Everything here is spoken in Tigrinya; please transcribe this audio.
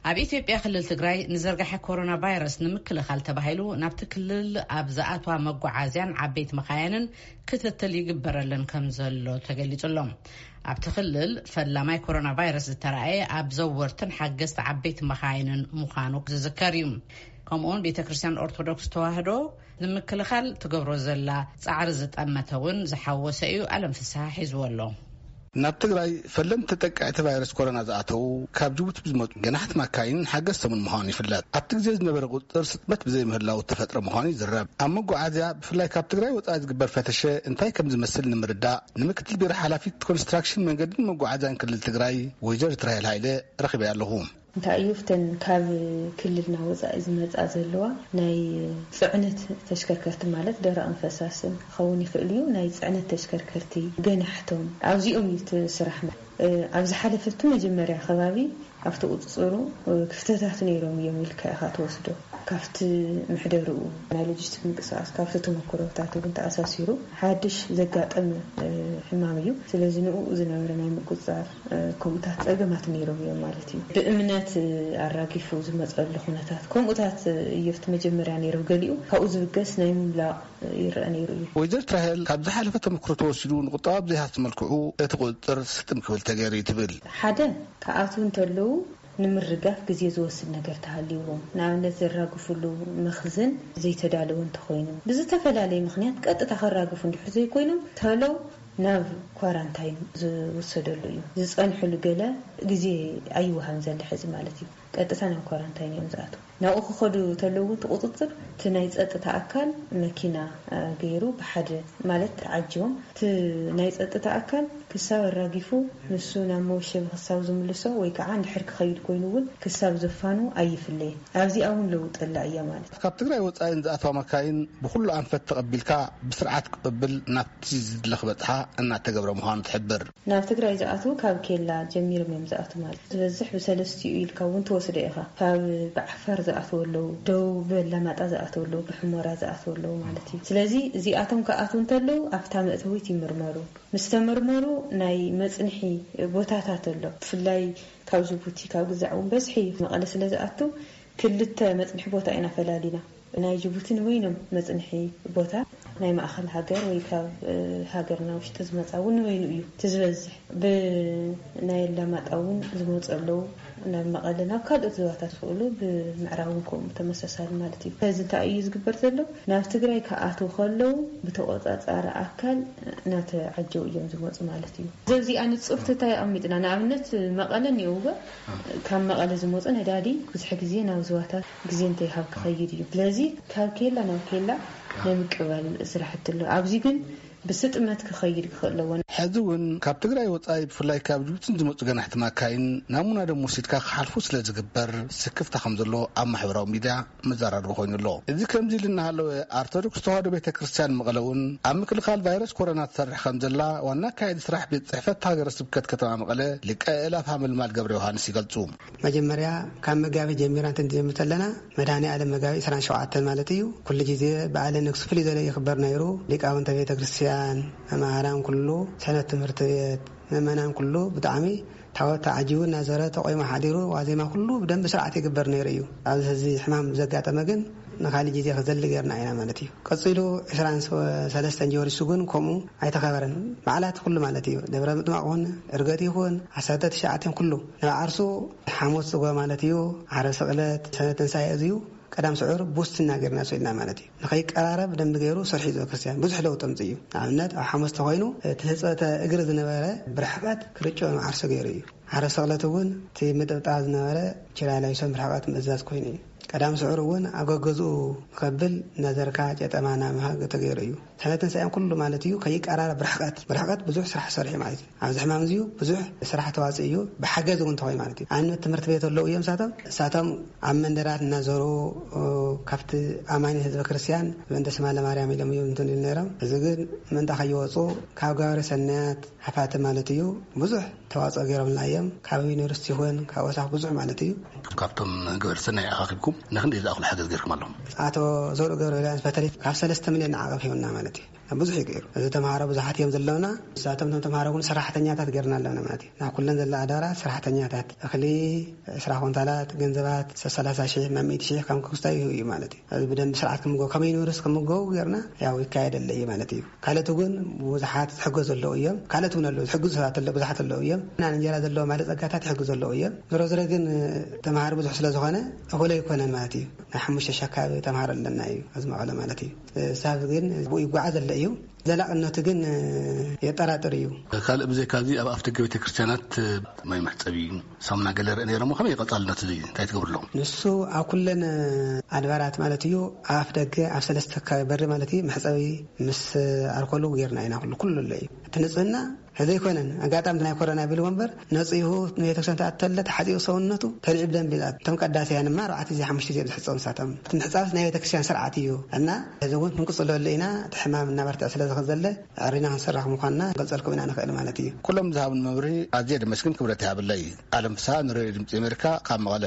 ኣብ ኢትዮጵያ ክልል ትግራይ ንዘርጋሐ ኮሮና ቫይረስ ንምክልኻል ተባሂሉ ናብቲ ክልል ኣብ ዝኣትዋ መጓዓዝያን ዓበይቲ መኻየንን ክትትል ይግበረለን ከም ዘሎ ተገሊጹ ኣሎ። ኣብቲ ክልል ፈላማይ ኮሮና ቫይረስ ዝተራእየ ኣብ ዘወርትን ሓገዝቲ ዓበይቲ መኻይንን ምዃኑ ዝዝከር እዩ። ከምኡውን ቤተ ክርስቲያን ኦርቶዶክስ ተዋህዶ ንምክልኻል ትገብሮ ዘላ ጻዕሪ ዝጠመተ እውን ዝሓወሰ እዩ። ኣለም ፍስሓ ሒዝዎ ኣሎ። ናብ ትግራይ ፈለምቲ ተጠቃዕቲ ቫይረስ ኮሮና ዝኣተዉ ካብ ጅቡቲ ብዝመፁ ገናሕቲ ማካይን ሓገዝቶምን ምዃኑ ይፍለጥ። ኣብቲ ግዜ ዝነበረ ቁፅፅር ስጥመት ብዘይምህላው ዝተፈጥረ ምዃኑ ይዝረብ። ኣብ መጓዓዝያ ብፍላይ ካብ ትግራይ ወፃኢ ዝግበር ፈተሸ እንታይ ከም ዝመስል ንምርዳእ ንምክትል ቢሮ ሓላፊት ኮንስትራክሽን መንገድን መጓዓዝያን ክልል ትግራይ ወይዘሪት ራሄል ሃይለ ረኺበያ ኣለኹ። እንታይ እዩ፣ እተን ካብ ክልልና ወፃኢ ዝመፃ ዘለዋ ናይ ፅዕነት ተሽከርከርቲ፣ ማለት ደረቕን ፈሳስን ክኸውን ይኽእል እዩ፣ ናይ ፅዕነት ተሽከርከርቲ ገናሕቶም ኣብዚኦም እዩ እቲ ስራሕ። ኣብ ዝሓለፈ እቲ መጀመርያ ከባቢ ኣብቲ ቁፅፅሩ ክፍተታት ነይሮም እዮም ኢልካ ኢኻ ትወስዶ። ካብቲ ምሕደርኡ ናይ ሎጂስቲክ ምንቅስቃስ ካብቲ ተመክሮታት እውን ተኣሳሲሩ ሓድሽ ዘጋጠመ ሕማም እዩ። ስለዚ ንኡ ዝነበረ ናይ ምቁፅፃር ከምኡታት ፀገማት ነይሮም እዮም ማለት እዩ። ብእምነት ኣራጊፉ ዝመፀሉ ኩነታት ከምኡታት እዮፍቲ መጀመርያ ነይሮም። ገሊኡ ካብኡ ዝብገስ ናይ ምምላቕ ይረአ ነይሩ እዩ። ወይዘር ትራሄል ካብ ዝሓለፈ ተመክሮ ተወሲዱ ንቁጠባ ብዘይሃሲ መልክዑ እቲ ቁፅፅር ስጥም ክብል ተገይሩ እዩ ትብል። ሓደ ክኣትዉ እንተለዉ ንምርጋፍ ግዜ ዝወስድ ነገር ተሃልይዎም፣ ንኣብነት ዘራግፉሉ መኽዝን ዘይተዳለወ እንተኾይኑ፣ ብዝተፈላለየ ምኽንያት ቀጥታ ከራግፉ እንድሕር ዘይኮይኖም፣ ተሎ ናብ ኳራንታይን ዝውሰደሉ እዩ። ዝጸንሕሉ ገለ ግዜ ኣይወሃብን ዘሎ ሕዚ ማለት እዩ። ቀጥታ ናብ ኳራንታይን እዮም ዝኣትዉ። ናብኡ ክኸዱ ተለዉ እቲ ቁጽጽር እቲ ናይ ጸጥታ ኣካል መኪና ገይሩ ብሓደ ማለት ተዓጅቦም እቲ ናይ ጸጥታ ኣካል ክሳብ ኣራጊፉ ንሱ ናብ መወሸቢ ክሳብ ዝምልሶ ወይ ከዓ እንድሕር ክኸይድ ኮይኑ እውን ክሳብ ዘፋኑ ኣይፍለየን። ኣብዚኣ እውን ለውጢ ኣላ እያ ማለት እዩ። ካብ ትግራይ ወፃኢ ንዝኣተዋ መካይን ብኩሉ ኣንፈት ተቐቢልካ ብስርዓት ክቕብል ናብቲ ዝድለ ክበፅሓ እናተገብረ ምዃኑ ትሕብር። ናብ ትግራይ ዝኣትዉ ካብ ኬላ ጀሚሮም እዮም ዝኣትዉ ማለት እዩ። ዝበዝሕ ብሰለስቲኡ ኢልካ እውን ትወስዶ ኢኻ። ካብ ብዓፋር ዝኣትዉ ኣለዉ፣ ደቡብ ኣላማጣ ዝኣትዉ ኣለዉ፣ ብሕሞራ ዝኣትዉ ኣለዉ ማለት እዩ። ስለዚ እዚኣቶም ክኣትዉ እንተለዉ ኣብታ መእተዊት ይምርመሩ። ምስ ተመርመሩ ናይ መፅንሒ ቦታታት ኣሎ። ብፍላይ ካብ ጅቡቲ ካብ ግዛዕ እውን በዝሒ እዩ። መቐለ ስለ ዝኣቱ ክልተ መፅንሒ ቦታ ኢና ፈላሊና። ናይ ጅቡቲ ንበይኖም መፅንሒ ቦታ፣ ናይ ማእኸል ሃገር ወይ ካብ ሃገርና ውሽጢ ዝመፃ እውን ንበይኑ እዩ እቲ ዝበዝሕ። ብናይ ኣላማጣ እውን ዝመፁ ኣለዉ ናብ መቐለ፣ ናብ ካልኦት ዞባታት ዝኽእሉ ብምዕራብ እውን ከምኡ ተመሳሳሊ ማለት እዩ። ስለዚ እንታይ እዩ ዝግበር ዘሎ? ናብ ትግራይ ክኣትዉ ከለዉ ብተቆፃፃሪ ኣካል እናተዓጀቡ እዮም ዝመፁ ማለት እዩ። ዘብዚኣ ንፁርቲ እንታይ ኣቐሚጥና? ንኣብነት መቐለ እኒኦ እወ፣ ካብ መቐለ ዝመፁ ነዳዲ ብዙሕ ግዜ ናብ ዞባታት ግዜ እንተይሃብ ክኸይድ እዩ። ስለዚ ካብ ኬላ ናብ ኬላ ናይ ምቅባል ስራሕቲ ኣሎ። ኣብዚ ግን ብስጥመት ክኸይድ ክኽእል ኣለዎ። ሕዚ እውን ካብ ትግራይ ወፃኢ ብፍላይ ካብ ጅቡቲን ዝመፁ ገናሕቲ ማካይን ናሙና ደም ወሲድካ ክሓልፉ ስለ ዝግበር ስክፍታ ከም ዘሎ ኣብ ማሕበራዊ ሚድያ መዘራረቢ ኮይኑ ኣሎ። እዚ ከምዚ ኢሉ እናሃለወ ኣርቶዶክስ ተዋህዶ ቤተ ክርስቲያን መቐለ እውን ኣብ ምክልኻል ቫይረስ ኮሮና ትሰርሕ ከም ዘላ ዋና ኣካያዲ ስራሕ ቤት ፅሕፈት ሃገረ ስብከት ከተማ መቐለ ሊቀ ኣእላፍ ሃመልማል ገብረ ዮሃንስ ይገልፁ። መጀመርያ ካብ መጋቢት ጀሚራ እንትንጀምር ተለና መድሃኔ ኣለም መጋቢት ዕስራን ሸውዓተን ማለት እዩ። ኩሉ ጊዜ በዓለ ንግስ ፍልይ ዘለ ይኽበር ነይሩ። ሊቃውንተ ቤተ ክርስቲያን፣ መማህራን ኩሉ፣ ሰንበት ትምህርቲ ቤት፣ ምእመናን ኩሉ ብጣዕሚ ታቦት ተዓጂቡ እናዘረ ተቆይሙ ሓዲሩ ዋዜማ ኩሉ ብደንቢ ስርዓት ይግበር ነይሩ እዩ። ኣብዚ ሕዚ ሕማም ዘጋጠመ ግን ንካሊእ ጊዜ ክዘሊ ገይርና ኢና ማለት እዩ። ቀጺሉ ዕስራን ሰለስተን ጀወሪሱ ግን ከምኡ ኣይተኸበረን። በዓላት ኩሉ ማለት እዩ። ደብረ ምጥማቕ ይኹን፣ እርገት ይኹን፣ ዓሰርተ ትሽዓተን ኩሉ ንባዓርሱ ሓሙስ ጽጎ ማለት እዩ። ዓረ ስቕለት፣ ሰነ ትንሳኤ እዚዩ ቀዳም ስዑር ቡስትና ጌርና ስኢልና ማለት እዩ። ንኸይቀራረብ ደንቢ ገይሩ ሰርሒ ዝበ ክርስቲያን ብዙሕ ለውጢ ኣምጽእ እዩ። ንኣብነት ኣብ ሓሙስ ተኾይኑ እቲ ህጸተ እግሪ ዝነበረ ብርሕቐት ክርጭኦ ንዓርሱ ገይሩ እዩ። ዓረ ስቕለት እውን እቲ ምጥብጣብ ዝነበረ ችላላይሶን ብርሕቐት ምእዛዝ ኮይኑ እዩ። ቀዳም ስዑር እውን ኣብ ገገዝኡ ንኸብል እናዘርካ ጨጠማ እናምሃ ተገይሩ እዩ። ሰነ ትንሳኤን ኩሉ ማለት እዩ ከይቀራረብ ብርሕቐት ብርሕቐት ብዙሕ ስራሕ ሰሪሑ ማለት እዩ። ኣብዚ ሕማም እዚዩ ብዙሕ ስራሕ ተዋፅእ እዩ። ብሓገዝ እውን ተኾይ ማለት እዩ። ኣብነት ትምህርቲ ቤት ኣለዉ እዮም እሳቶም እሳቶም ኣብ መንደራት እናዞሩ ካብቲ ኣማኒ ህዝበ ክርስቲያን ምእንተ ስማ ለማርያም ኢሎም እዮም እንትን ኢሉ ነይሮም። እዚ ግን ምእንታ ከይወፁ ካብ ገባሪ ሰናያት ሓፋቲ ማለት እዩ ብዙሕ ተዋፅኦ ገይሮምልና እዮም። ካብ ዩኒቨርሲቲ ይኹን ካብ ወሳኽ ብዙሕ ማለት እዩ። ካብቶም ገበርቲ ሰናይ ኣኻኺብኩም ንክንደይ ዝኣኽሉ ሓገዝ ገይርኩም ኣለኹም? ኣቶ ዘውዱ ገብረልያስ በተለይ ካብ ሰለስተ ሚልዮን ንዓቐብ ሂቡና ማለት እዩ። ብዙሕ እዩ ገይሩ። እዚ ተምሃሮ ብዙሓት እዮም ዘለውና። ንሳቶም እቶም ተምሃሮ እውን ሰራሕተኛታት ገይርና ኣለና ማለት እዩ። ናብ ኩለን ዘላ ኣዳራ ሰራሕተኛታት፣ እኽሊ ዕስራ ኮንታላት፣ ገንዘባት ሰላሳ ሺሕ፣ ማሚት ሺሕ ከም ክስታይ እዩ ማለት እዩ። እዚ ብደንብ ስርዓት ክምገቡ፣ ከመይ ንብርስ ክምገቡ ገይርና ያው ይካየደለ እዩ ማለት እዩ። ካልኦት እውን ብዙሓት ዝሕገዙ ኣለዉ እዮም። ካልኦት እውን ኣለዉ፣ ዝሕግዙ ሰባት ኣለዉ፣ ብዙሓት ኣለዉ እዮም። እና እንጀራ ዘለዎ ማለት ጸጋታት ይሕግዙ ኣለዉ እዮም። ዝሮ ዝሮ ግን ተምሃሮ ብዙሕ ስለ ዝኾነ እኹል ኣይኮነን ማለት እዩ። ናይ ሓሙሽተ ሺሕ ኣካባቢ ተምሃሮ ኣለና እዩ ኣብዚ መቐለ ማለት እዩ። ሳብ ግን ብኡ ይጓዓዝ ኣሎ እዩ። ዘላቕነቱ ግን የጠራጥር እዩ። ካልእ ብዘይካዚ ኣብ ኣፍ ደገ ቤተ ክርስቲያናት ማይ መሕጸቢ ሳሙና ገለ ርእ ነይሮሞ ከመይ ቀጻልነት እዚ እንታይ ትገብርሎም? ንሱ ኣብ ኩለን ኣድባራት ማለት እዩ። ኣፍ ደገ ኣብ ሰለስተ ከባቢ በሪ ማለት እዩ መሕጸቢ ምስ ኣልኮሉ ጌርና ኢና። ኩሉ ኩሉ ኣሎ እዩ። እቲ ንጽህና ዘይኮነን ኣጋጣሚ ናይ ኮሮና ቢልዎ እምበር ነጺሁ ንቤተክርስትያን ተኣተለ ተሓጺቡ ሰውነቱ ተልዒ ብደንብ ይኣቱ። እቶም ቀዳስያን ድማ ኣርባዕተ ግዜ ሓሙሽተ ግዜ ብዝሕጸቡ ንሳቶም እቲ ምሕጻብስ ናይ ቤተክርስትያን ስርዓት እዩ እና እዚ እውን ክንቅጽለሉ ኢና። እቲ ሕማም እናበርትዐ ስለ ዝኸዘለ ኣዕሪና ክንሰርሕ ምዃንና ክንገልጸልኩም ኢና ንኽእል ማለት እዩ። ኩሎም ዝሃብን መብርሂ ኣዝየ ደመስግን ክብረት ይሃብለይ። ኣለም ፍስሃ ንሬድዮ ድምፂ ኣሜሪካ ካብ መቐለ።